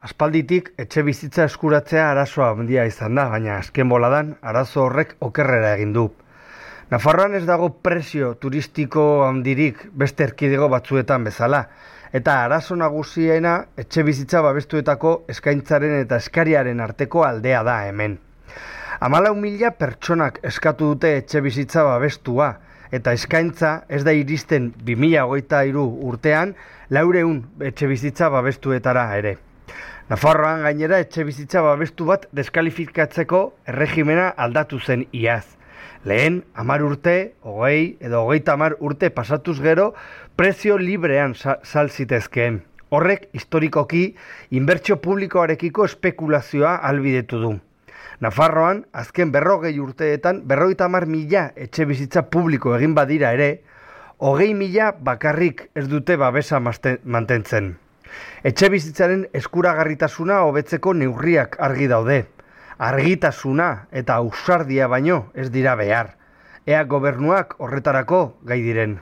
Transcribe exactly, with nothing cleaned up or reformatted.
Aspalditik etxe bizitza eskuratzea arazoa handia izan da, baina azken boladan arazo horrek okerrera egin du. Nafarroan ez dago presio turistiko handirik beste erkidego batzuetan bezala, eta arazo nagusiena etxe bizitza babestuetako eskaintzaren eta eskariaren arteko aldea da hemen. Hamalau mila pertsonak eskatu dute etxe bizitza babestua, eta eskaintza ez da iristen bi mila hogeita hiru urtean laurehun etxe bizitza babestuetara ere. Nafarroan gainera etxe bizitza babestu bat deskalifikatzeko erregimena aldatu zen iaz. Lehen, hamar urte, hogei edo hogeita hamar urte pasatuz gero, prezio librean sal zitezkeen. Horrek, historikoki, inbertsio publikoarekiko espekulazioa ahalbidetu du. Nafarroan, azken berrogei urteetan, berrogeita hamar mila etxe bizitza publiko egin badira ere, hogei mila bakarrik ez dute babesa mantentzen. Etxe bizitzaren eskuragarritasuna hobetzeko neurriak argi daude. Argitasuna eta ausardia baino ez dira behar. Ea gobernuak horretarako gai diren.